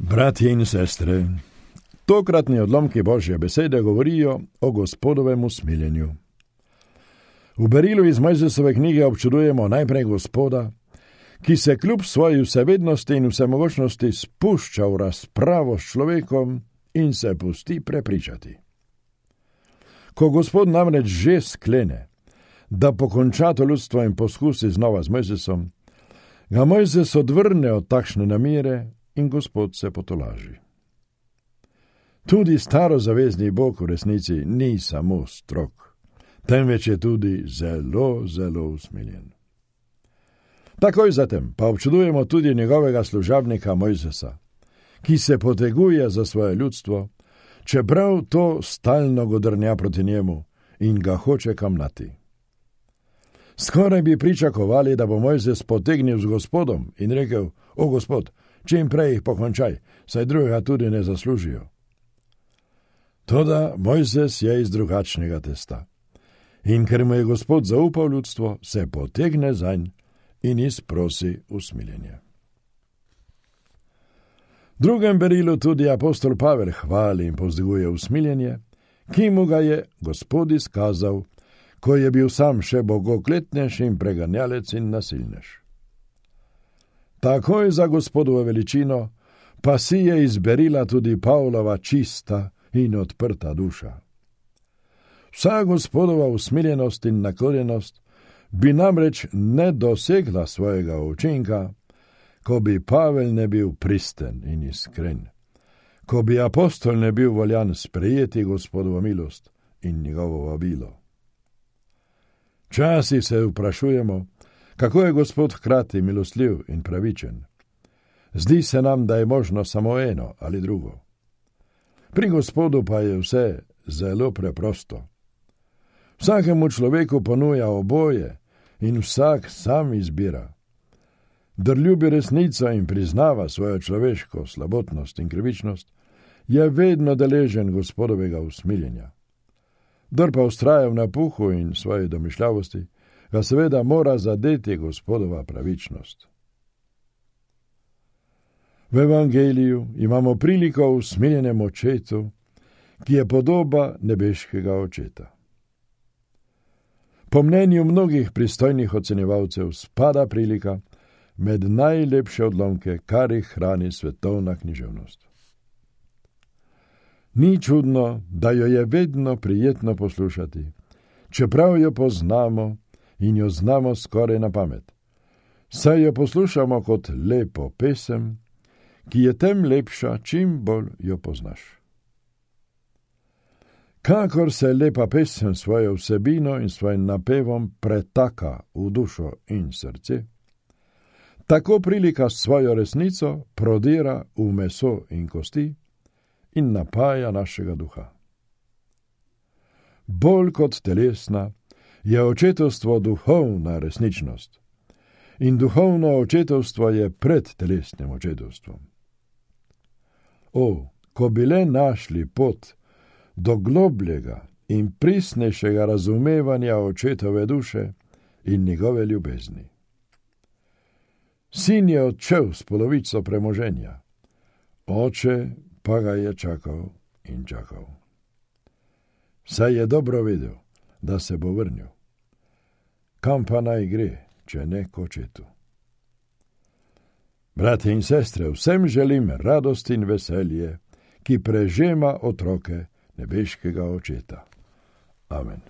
Bratje in sestre, tokratni odlomki Božje besede govorijo o Gospodovem usmiljenju. V berilu iz Mojzesove knjige občudujemo najprej Gospoda, ki se kljub svoji vsevednosti in vsemogočnosti spušča v razpravo s človekom in se pusti prepričati. Ko Gospod namreč že sklene, da pokonča to ljudstvo in poskusi znova z Mojzesom, ga Mojzes odvrne od takšne namere in Gospod se potolaži. Tudi starozavezni Bog v resnici ni samo strog, temveč je tudi zelo, zelo usmiljen. Takoj zatem pa občudujemo tudi njegovega služabnika Mojzesa, ki se poteguje za svoje ljudstvo, čeprav to stalno godrnja proti njemu in ga hoče kamnati. Skoraj bi pričakovali, da bo Mojzes potegnil z Gospodom in rekel: O Gospod, čim prej jih pokončaj, saj drugega tudi ne zaslužijo. Toda Mojzes je iz drugačnega testa in ker mu je Gospod zaupal ljudstvo, se potegne zanj in izprosi usmiljenje. V drugem berilu tudi apostol Pavel hvali in povzdiguje usmiljenje, ki mu ga je Gospod izkazal, ko je bil sam še bogokletnež in preganjalec in nasilnež. Takoj za Gospodovo veličino pa si je izberila tudi Pavlova čista in odprta duša. Vsa Gospodova usmiljenost in naklonjenost bi namreč ne dosegla svojega učinka, ko bi Pavel ne bil pristen in iskren, ko bi apostol ne bil voljan sprejeti Gospodovo milost in njegovo vabilo. Časi se vprašujemo, kako je Gospod hkrati milostljiv in pravičen. Zdi se nam, da je možno samo eno ali drugo. Pri Gospodu pa je vse zelo preprosto. Vsakemu človeku ponuja oboje in vsak sam izbira. Kdor ljubi resnico in priznava svojo človeško slabotnost in krivičnost, je vedno deležen Gospodovega usmiljenja. Kdor pa vztraja v napuhu in svoji domišljavosti, ga seveda mora zadeti Gospodova pravičnost. V Evangeliju imamo priliko o usmiljenem očetu, ki je podoba nebeškega očeta. Po mnenju mnogih pristojnih ocenjevalcev spada prilika med najlepše odlomke, kar jih hrani svetovna književnost. Ni čudno, da jo je vedno prijetno poslušati, čeprav jo poznamo in jo znamo skoraj na pamet. Saj jo poslušamo kot lepo pesem, ki je tem lepša, čim bolj jo poznaš. Kakor se lepa pesem svojo vsebino in svojim napevom pretaka v dušo in srce, tako prilika svojo resnico prodira v meso in kosti in napaja našega duha. Bolj kot telesna je očetovstvo duhovna resničnost in duhovno očetovstvo je pred telesnim očetovstvom. O, ko bi le našli pot do globljega in pristnejšega razumevanja očetove duše in njegove ljubezni. Sin je odšel s polovico premoženja, oče pa ga je čakal in čakal. Saj je dobro vedel, da se bo vrnil. Kam pa naj gre, če ne k očetu? Bratje in sestre, vsem želim radost in veselje, ki prežema otroke nebeškega očeta. Amen.